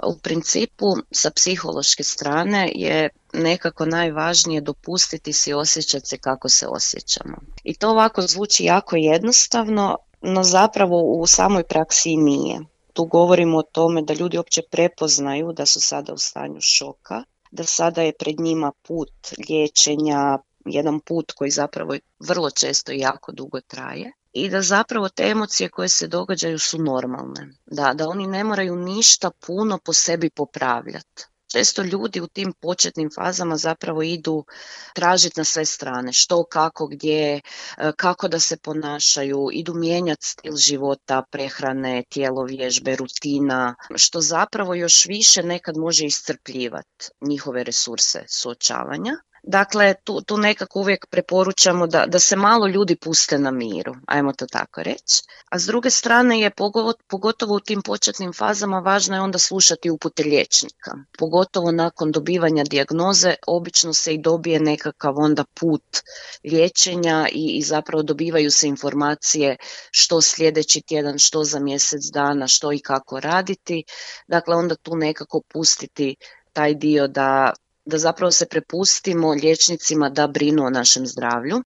U principu, sa psihološke strane je nekako najvažnije dopustiti si osjećati se kako se osjećamo. I to ovako zvuči jako jednostavno, no zapravo u samoj praksi i nije. Tu govorimo o tome da ljudi uopće prepoznaju da su sada u stanju šoka, da sada je pred njima put liječenja, jedan put koji zapravo vrlo često i jako dugo traje. I da zapravo te emocije koje se događaju su normalne. Da oni ne moraju ništa puno po sebi popravljati. Često ljudi u tim početnim fazama zapravo idu tražiti na sve strane, što, kako, gdje, kako da se ponašaju, idu mijenjati stil života, prehrane, tjelovježbe, rutina, što zapravo još više nekad može iscrpljivati njihove resurse suočavanja. Dakle, tu nekako uvijek preporučamo da se malo ljudi puste na miru, ajmo to tako reći. A s druge strane je pogotovo u tim početnim fazama važno je onda slušati upute liječnika. Pogotovo nakon dobivanja dijagnoze obično se i dobije nekakav onda put liječenja i zapravo dobivaju se informacije što sljedeći tjedan, što za mjesec dana, što i kako raditi. Dakle, onda tu nekako pustiti taj dio da zapravo se prepustimo liječnicima da brinu o našem zdravlju